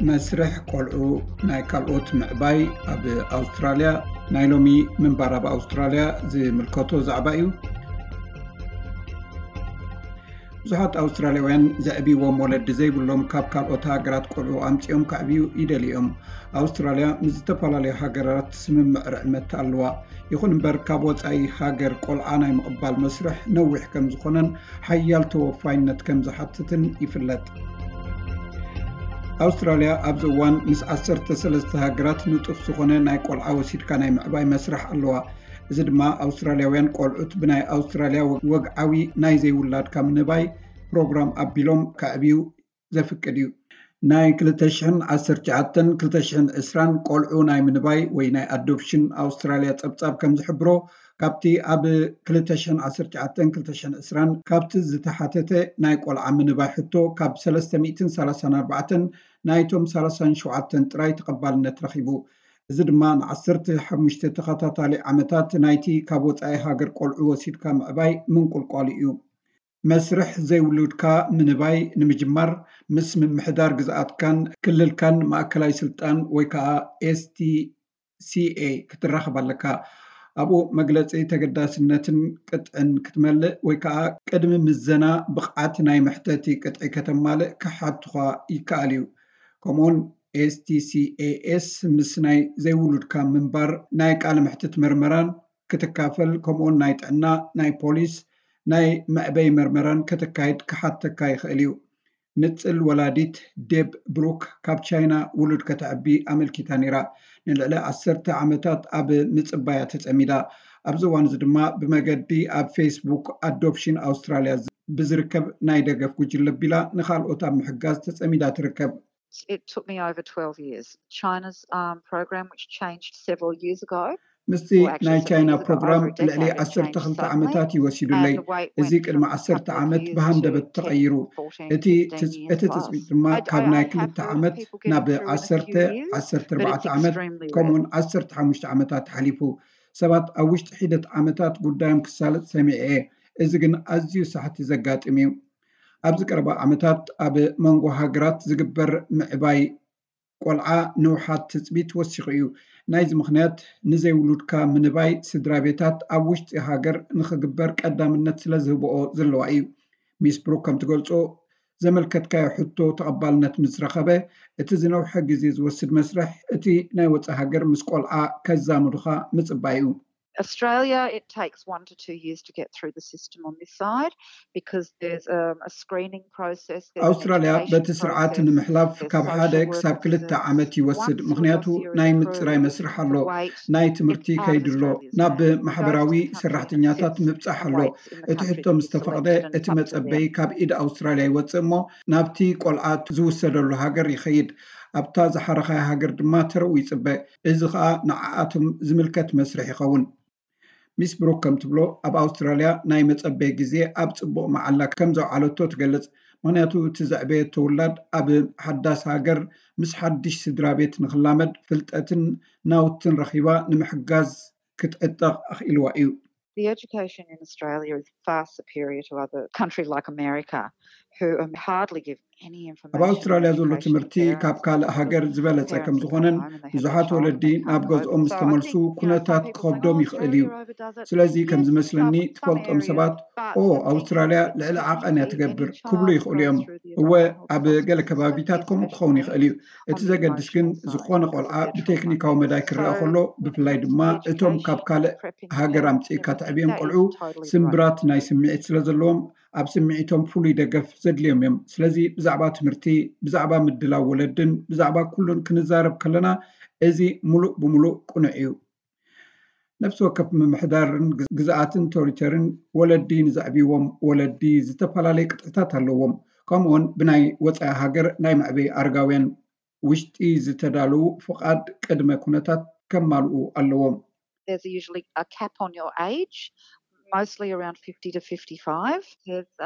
መስርሕ ቆልዑ ናይ ካልኦት ምዕባይ ኣብ ኣውስትራልያ፣ ናይ ሎሚ ምንባር ኣብ ኣውስትራልያ ዝምልከቶ ዛዕባ እዩ። ብዙሓት ኣውስትራልያውያን ዘዕብይዎም ወለዲ ዘይብሎም ካብ ካልኦት ሃገራት ቆልዑ ኣምጺኦም ከዕብዩ ይደልዩ እዮም። ኣውስትራልያ ምስ ዝተፈላለዩ ሃገራት ስምምዕ ርዕመት ኣለዋ። ይኹን እምበር ካብ ወጻኢ ሃገር ቆልዓ ናይ ምቕባል መስርሕ ነዊሕ ከም ዝኾነን ሓያል ተወፋይነት ከም ዝሓትትን ይፍለጥ። ኣውስትራልያ ኣብዚ እዋን ምስ ዓሰርተ ሰለስተ ሃገራት ንጡፍ ዝኾነ ናይ ቆልዓ ወሲድካ ናይ ምዕባይ መስርሕ ኣለዋ። እዚ ድማ ኣውስትራልያውያን ቆልዑት ብናይ ኣውስትራልያ ወግዓዊ ናይ ዘይውላድካ ምንባይ ፕሮግራም ኣቢሎም ከዕብዩ ዘፍቅድ እዩ። ናይ ክልተ ሽሕን ዓሰርተ ትሽዓተን ክልተ ሽሕን ዕስራን ቆልዑ ናይ ምንባይ ወይ ናይ ኣዶፕሽን ኣውስትራልያ ጸብጻብ ከም ዝሕብሮ፣ ካብቲ ኣብ ክልተ ሽሕን ዓሰርተ ትሽዓተን ክልተ ሽሕን ዕስራን ካብቲ ዝተሓተተ ናይ ቆልዓ ምንባይ ሕቶ ካብ ሰለስተ ሚእትን ሰላሳን ኣርባዕተን ናይቶም ሰላሳን ሸውዓተን ጥራይ ተቐባልነት ረኺቡ። እዚ ድማ ንዓሰርተ ሓሙሽተ ተኸታታሊ ዓመታት ናይቲ ካብ ወጻኢ ሃገር ቆልዑ ወሲድካ ምዕባይ ምንቁልቋሉ እዩ። መስርሕ ዘይውሉድካ ምንባይ ንምጅማር ምስ ምምሕዳር ግዝኣትካን ክልልካን ማእከላይ ስልጣን ወይ ከዓ ኤስቲሲኤ ክትራኸብ ኣለካ። ኣብኡ መግለጺ ተገዳስነትን ቅጥዕን ክትመልእ ወይ ከዓ ቅድሚ ምዘና ብቕዓት ናይ መሕተቲ ቅጥዒ ከተማልእ ክሓቱኻ ይከኣል እዩ። ከምኡውን ኤስቲሲኤኤስ ምስ ናይ ዘይውሉድካ ምንባር ናይ ቃለ መሕትት መርመራን ክትካፈል፣ ከምኡውን ናይ ጥዕና፣ ናይ ፖሊስ፣ ናይ መዕበይ መርመራን ከተካይድ ክሓተካ ይኽእል እዩ። ንጽል ወላዲት ዴብ ብሩክ ካብ ቻይና ውሉድ ከተዕቢ ኣመልኪታ ነይራ። ንልዕሊ ዓሰርተ ዓመታት ኣብ ምጽባያ ተጸሚዳ። ኣብዚ እዋን እዚ ድማ ብመገዲ ኣብ ፌስቡክ ኣዶፕሽን ኣውስትራልያ ብዝርከብ ናይ ደገፍ ጉጅለ ኣቢላ ንኻልኦት ኣብ ምሕጋዝ ተጸሚዳ ትርከብ። It took me over twelve years. China's um, program, which changed several years ago, ምስቲ ናይ ቻይና ፕሮግራም ልዕሊ ዓሰርተ ክልተ ዓመታት እዩ ወሲዱለይ። እዚ ቅድሚ ዓሰርተ ዓመት ብሃንደበት ተቐይሩ። እቲ ትጽቢት ድማ ካብ ናይ ክልተ ዓመት ናብ ዓሰርተ፣ ዓሰርተ ኣርባዕተ ዓመት ከምኡውን ዓሰርተ ሓሙሽተ ዓመታት ሓሊፉ። ሰባት ኣብ ውሽጢ ሒደት ዓመታት ጉዳዮም ክሳለጥ ሰሚዐ እየ። እዚ ግን ኣዝዩ ሳሕቲ ዘጋጥም እዩ። ኣብዚ ቀረባ ዓመታት ኣብ መንጎ ሃገራት ዝግበር ምዕባይ ቆልዓ ንውሓት ትጽቢት ወሲኹ እዩ። ናይዚ ምኽንያት ንዘይውሉድካ ምንባይ ስድራ ቤታት ኣብ ውሽጢ ሃገር ንኽግበር ቀዳምነት ስለ ዝህብኦ ዘለዋ እዩ። ሚስ ብሩክ ከም ትገልጾ፣ ዘመልከትካዮ ሕቶ ተቐባልነት ምስ ረኸበ፣ እቲ ዝነውሐ ግዜ ዝወስድ መስርሕ እቲ ናይ ወጻኢ ሃገር ምስ ቆልዓ ከዛምዱኻ ምጽባይ እዩ። Australia, it takes one to two years to get through the system on this side because there's um, a screening process. ኣውስትራልያ በቲ ስርዓት ንምሕላፍ ካብ ሓደ ክሳብ ክልተ ዓመት ይወስድ፣ ምክንያቱ ናይ ምፅራይ መስርሕ ኣሎ፣ ናይ ትምህርቲ ከይድሎ፣ ናብ ማሕበራዊ ሰራሕተኛታት ምብፃሕ ኣሎ። እቲ ሕቶ ምስ ተፈቕደ እቲ መፀበይ ካብ ኢድ ኣውስትራልያ ይወፅእ እሞ ናብቲ ቆልዓ ዝውሰደሉ ሃገር ይኸይድ። ኣብታ ዝሓረኻያ ሃገር ድማ ተረኡ ይፅበ። እዚ ከዓ ንዓኣቶም ዝምልከት መስርሕ ይኸውን። ሚስ ብሩክ ከም ትብሎ፣ ኣብ ኣውስትራልያ ናይ መጸበይ ግዜ ኣብ ጽቡቕ መዓላ ከም ዘውዓለቶ ትገልጽ። ምኽንያቱ እቲ ዘዕበየቶ ውላድ ኣብ ሓዳስ ሃገር ምስ ሓድሽ ስድራ ቤት ንኽላመድ ፍልጠትን ናውትን ረኺባ ንምሕጋዝ ክትዕጠቕ ኣኽኢልዋ እዩ። The education in Australia is far superior to other countries like America, who hardly give any information. ኣብ ኣውስትራልያ ዘሎ ትምህርቲ ካብ ካልእ ሃገር ዝበለጸ ከም ዝኾነን ብዙሓት ወለዲ ናብ ገዝኦም ምስ ተመልሱ ኩነታት ክኸብዶም ይኽእል እዩ። ስለዚ ከም ዝመስለኒ ትፈልጦም ሰባት ኦ ኣውስትራልያ ልዕሊ ዓቐን እያ ትገብር ክብሉ ይኽእሉ እዮም። እወ ኣብ ገለ ከባቢታት ከምኡ ክኸውን ይኽእል እዩ። እቲ ዘገድስ ግን ዝኾነ ቆልዓ ብቴክኒካዊ መዳይ ክረአ ከሎ ብፍላይ ድማ እቶም ካብ ካልእ ሃገር ኣምጺእካ ተዕብዮም ቆልዑ ስምብራት ናይ ስምዒት ስለ ዘለዎም ኣብ ስምዒቶም ፍሉይ ደገፍ ዘድልዮም እዮም። ስለዚ ብዛዕባ ትምህርቲ፣ ብዛዕባ ምድላው ወለድን ብዛዕባ ኩሉን ክንዛረብ ከለና እዚ ሙሉእ ብሙሉእ ቅኑዕ እዩ። ነፍሲ ወከፍ ምምሕዳርን ግዝኣትን ቶሪተርን ወለዲ ንዘዕብይዎም ወለዲ ዝተፈላለየ ቅጥዕታት ኣለዎም። ከምኡውን ብናይ ወፃኢ ሃገር ናይ መዕበይ ኣረጋውያን ውሽጢ ዝተዳለዉ ፍቓድ ቅድመ ኩነታት ከማልኡ ኣለዎም። There's usually a cap on your age, mostly around fifty to fifty-five.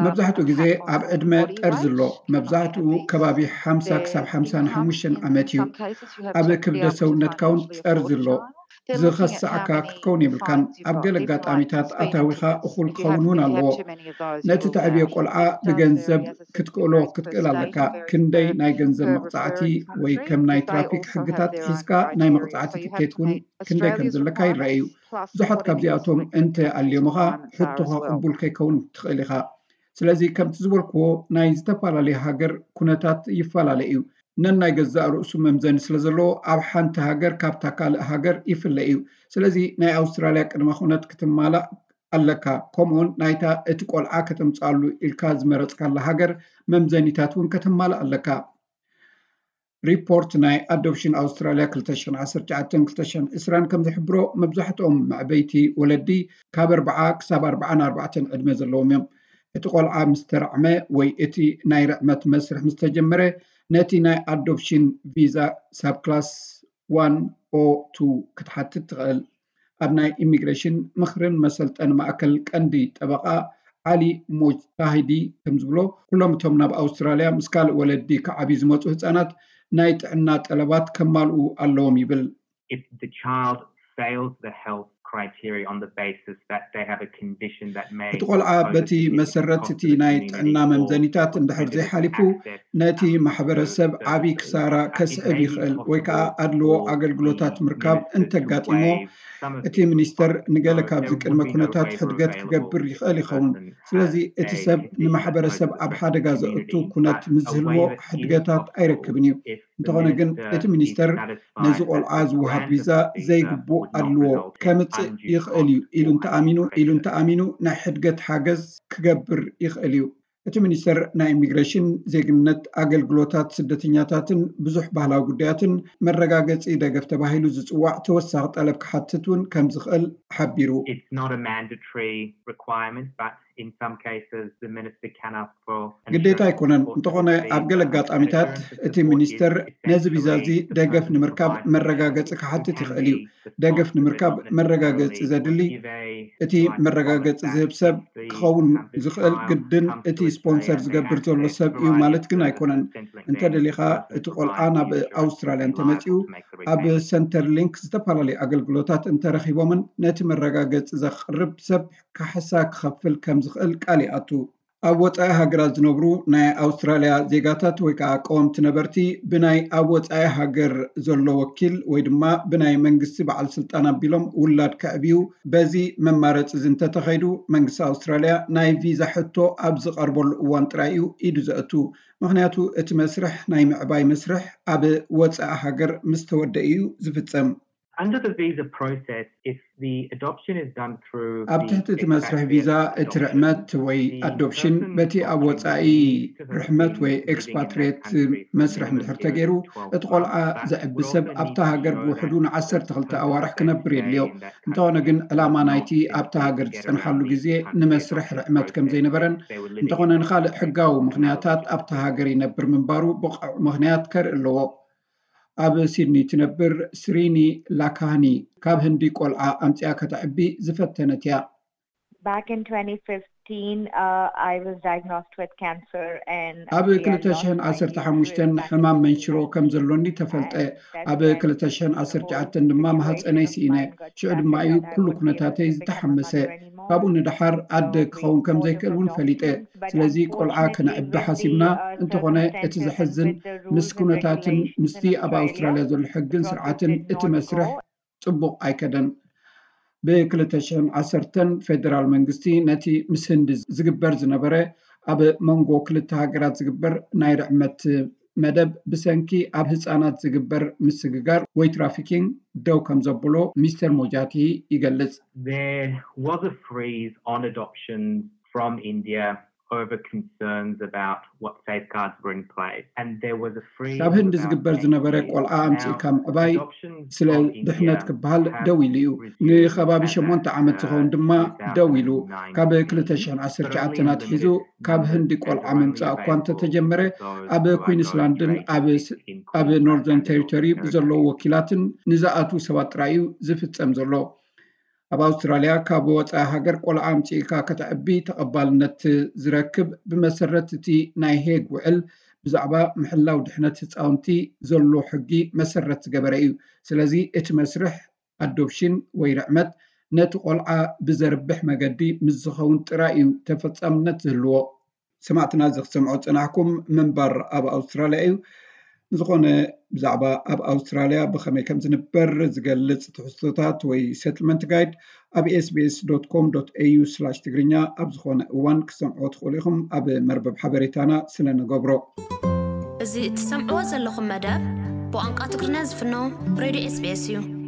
መብዛሕትኡ ግዜ ኣብ ዕድመ ጠርዚ ኣሎ። መብዛሕትኡ ከባቢ ሓምሳ ክሳብ ሓምሳን ሓሙሽተን ዓመት እዩ። ኣብ ክብደት ሰውነትካ እውን ጠርዚ ኣሎ። ዝኸስዓካ ክትከውን የብልካን። ኣብ ገለ ኣጋጣሚታት ኣታዊኻ እኹል ክኸውን እውን ኣለዎ። ነቲ ተዕብዮ ቆልዓ ብገንዘብ ክትክእሎ ክትክእል ኣለካ። ክንደይ ናይ ገንዘብ መቕፃዕቲ ወይ ከም ናይ ትራፊክ ሕግታት ሒዝካ ናይ መቕፃዕቲ ትኬት እውን ክንደይ ከም ዘለካ ይረአ እዩ። ብዙሓት ካብዚኣቶም እንተ ኣልዮምኻ ሕቶኻ ቅቡል ከይከውን ትኽእል ኢኻ። ስለዚ ከምቲ ዝበልክዎ ናይ ዝተፈላለዩ ሃገር ኩነታት ይፈላለ እዩ። ነናይ ገዛእ ርእሱ መምዘኒ ስለ ዘለዎ ኣብ ሓንቲ ሃገር ካብታ ካልእ ሃገር ይፍለ እዩ። ስለዚ ናይ ኣውስትራልያ ቅድመ ኩነት ክትማላእ ኣለካ። ከምኡውን ናይታ እቲ ቆልዓ ከተምፅኣሉ ኢልካ ዝመረፅካላ ሃገር መምዘኒታት እውን ከተማልእ ኣለካ። ሪፖርት ናይ ኣዶፕሽን ኣውስትራልያ ክልተ ሽሕን ዓሰርተ ትሽዓተን ክልተ ሽሕን ዕስራን ከም ዝሕብሮ መብዛሕትኦም መዕበይቲ ወለዲ ካብ ኣርብዓ ክሳብ ኣርብዓን ኣርባዕተን ዕድመ ዘለዎም እዮም። እቲ ቆልዓ ምስ ተራዕመ ወይ እቲ ናይ ርዕመት መስርሕ ምስ ተጀመረ ነቲ ናይ ኣዶፕሽን ቪዛ ሳብ ክላስ ዋን ኦ ቱ ክትሓትት ትኽእል። ኣብ ናይ ኢሚግሬሽን ምኽርን መሰልጠን ማእከል ቀንዲ ጠበቓ ዓሊ ሞጅታሂዲ ከም ዝብሎ፣ ኩሎም እቶም ናብ ኣውስትራልያ ምስ ካልእ ወለዲ ክዓብዩ ዝመጹ ህጻናት ናይ ጥዕና ጠለባት ከማልኡ ኣለዎም ይብል። If the child fails the health criteria on the basis that they have a condition that may እቲ ቆልዓ በቲ መሰረት እቲ ናይ ጥዕና መምዘኒታት እንድሕር ዘይሓሊፉ ነቲ ማሕበረሰብ ዓብዪ ክሳራ ከስዕብ ይኽእል ወይ ከዓ ኣድልዎ ኣገልግሎታት ምርካብ እንተጋጢሞ እቲ ሚኒስተር ንገለ ካብዚ ቅድመ ኩነታት ሕድገት ክገብር ይኽእል ይኸውን። ስለዚ እቲ ሰብ ንማሕበረሰብ ኣብ ሓደጋ ዘእቱ ኩነት ምስ ዝህልዎ ሕድገታት ኣይረክብን እዩ። እንተኾነ ግን እቲ ሚኒስተር ነዚ ቆልዓ ዝወሃብ ቪዛ ዘይግቡእ ኣድልዎ ከምጽእ ይኽእል እዩ ኢሉ እንተኣሚኑ ኢሉ እንተኣሚኑ ናይ ሕድገት ሓገዝ ክገብር ይኽእል እዩ። እቲ ሚኒስተር ናይ ኢሚግሬሽን፣ ዜግነት፣ ኣገልግሎታት ስደተኛታትን ብዙሕ ባህላዊ ጉዳያትን መረጋገጺ ደገፍ ተባሂሉ ዝጽዋዕ ተወሳኺ ጠለብ ክሓትት እውን ከም ዝኽእል ሓቢሩ። It's not a mandatory requirement, but in some cases the minister can ask for ግዴታ ኣይኮነን። እንተኾነ ኣብ ገለ ኣጋጣሚታት እቲ ሚኒስተር ነዚ ቪዛ እዚ ደገፍ ንምርካብ መረጋገጺ ክሓትት ይኽእል እዩ። ደገፍ ንምርካብ መረጋገጺ ዘድሊ እቲ መረጋገጺ ዝህብ ሰብ ክኸውን ዝኽእል ግድን እቲ ስፖንሰር ዝገብር ዘሎ ሰብ እዩ ማለት ግን ኣይኮነን። እንተደሊኻ እቲ ቆልዓ ናብ ኣውስትራልያ እንተመጺኡ ኣብ ሰንተር ሊንክ ዝተፈላለዩ ኣገልግሎታት እንተረኺቦምን ነቲ መረጋገጺ ዘቕርብ ሰብ ካሕሳ ክኸፍል ከም ዝኽእል ቃል ይኣቱ። ኣብ ወጻኢ ሃገራት ዝነብሩ ናይ ኣውስትራልያ ዜጋታት ወይ ከዓ ቀወምቲ ነበርቲ ብናይ ኣብ ወጻኢ ሃገር ዘሎ ወኪል ወይ ድማ ብናይ መንግስቲ በዓል ስልጣን ኣቢሎም ውላድ ከዕብዩ በዚ መማረፂ እዚ እንተተኸይዱ መንግስቲ ኣውስትራልያ ናይ ቪዛ ሕቶ ኣብ ዝቐርበሉ እዋን ጥራይ እዩ ኢዱ ዘእቱ። ምክንያቱ እቲ መስርሕ ናይ ምዕባይ መስርሕ ኣብ ወጻኢ ሃገር ምስ ተወደአ እዩ ዝፍጸም። Under the visa process, if the adoption is done through ኣብ ትሕቲ እቲ መስርሕ ቪዛ እቲ ርሕመት ወይ ኣዶፕሽን በቲ ኣብ ወፃኢ ርሕመት ወይ ኤክስፓትሪየት መስርሕ እንድሕር ተገይሩ እቲ ቆልዓ ዘዕቢ ሰብ ኣብታ ሃገር ብውሕዱ ንዓሰርተ ክልተ ኣዋርሕ ክነብር የድልዮ። እንተኾነ ግን ዕላማ ናይቲ ኣብታ ሃገር ዝፀንሓሉ ግዜ ንመስርሕ ርሕመት ከም ዘይነበረን እንተኾነ ንኻልእ ሕጋዊ ምኽንያታት ኣብታ ሃገር ይነብር ምንባሩ ብቑዕ ምኽንያት ከርኢ ኣለዎ። ኣብ ሲድኒ ትነብር ስሪኒ ላካኒ ካብ ህንዲ ቆልዓ ኣምፅኣ ከተዕቢ ዝፈተነት እያ። Back in twenty fifteen, uh, I was diagnosed with cancer and ኣብ ክልተ ሽሕን ዓሰርተ ሓሙሽተን ሕማም መንሽሮ ከም ዘሎኒ ተፈልጠ። ኣብ ክልተ ሽሕን ዓሰርተ ትሽዓተን ድማ ማህፀነይ ስኢነ። ሽዑ ድማ እዩ ኩሉ ኩነታተይ ዝተሓመሰ። ካብኡ ንደሓር ኣደ ክኸውን ከም ዘይክእል እውን ፈሊጠ። ስለዚ ቆልዓ ክነዕቢ ሓሲብና። እንተኾነ እቲ ዘሕዝን ምስ ኩነታትን ምስቲ ኣብ ኣውስትራልያ ዘሎ ሕግን ስርዓትን እቲ መስርሕ ጽቡቕ ኣይከደን። ብ ክልተ ሽሕን ዓሰርተን ፌደራል መንግስቲ ነቲ ምስ ህንዲ ዝግበር ዝነበረ ኣብ መንጎ ክልተ ሃገራት ዝግበር ናይ ርዕመት መደብ ብሰንኪ ኣብ ህጻናት ዝግበር ምስግጋር ወይ ትራፊኪንግ ደው ከም ዘብሎ ሚስተር ሞጃቲ ይገልጽ። There was a freeze on adoptions from India over concerns about what safeguards were in place and there was a freeze. ካብ ህንዲ ዝግበር ዝነበረ ቆልዓ ኣምጺእካ ምዕባይ ስለ ድሕነት ክበሃል ደው ኢሉ እዩ። ንከባቢ ሸሞንተ ዓመት ዝኸውን ድማ ደው ኢሉ። ካብ ክልተ ሽሕን ዓሰርተ ትሽዓተን ኣትሒዙ ካብ ህንዲ ቆልዓ ምምጻእ እኳ እንተተጀመረ ኣብ ኩዊንስላንድን ኣብ ኖርዘርን ቴሪቶሪ ብዘለዉ ወኪላትን ንዝኣትዉ ሰባት ጥራይ እዩ ዝፍጸም ዘሎ። ኣብ ኣውስትራልያ ካብ ወፃኢ ሃገር ቆልዓ ኣምፂእካ ከተዕቢ ተቐባልነት ዝረክብ ብመሰረት እቲ ናይ ሄግ ውዕል ብዛዕባ ምሕላው ድሕነት ህፃውንቲ ዘሎ ሕጊ መሰረት ዝገበረ እዩ። ስለዚ እቲ መስርሕ ኣዶፕሽን ወይ ርዕመት ነቲ ቆልዓ ብዘርብሕ መገዲ ምስ ዝኸውን ጥራይ እዩ ተፈጻምነት ዝህልዎ። ሰማዕትና፣ እዚ ክትሰምዖ ዝጸናሕኩም ምንባር ኣብ ኣውስትራልያ እዩ። ንዝኾነ፣ ብዛዕባ ኣብ ኣውስትራልያ ብኸመይ ከም ዝንበር ዝገልጽ ትሕዝቶታት ወይ ሰትልመንት ጋይድ ኣብ ኤስቢኤስ ዶት ኮም ዶት ኤዩ ስላሽ ትግርኛ ኣብ ዝኾነ እዋን ክትሰምዕዎ ትኽእሉ ኢኹም፣ ኣብ መርበብ ሓበሬታና ስለ ንገብሮ። እዚ እትሰምዕዎ ዘለኹም መደብ ብቋንቋ ትግርኛ ዝፍኖ ሬድዮ ኤስቢኤስ እዩ።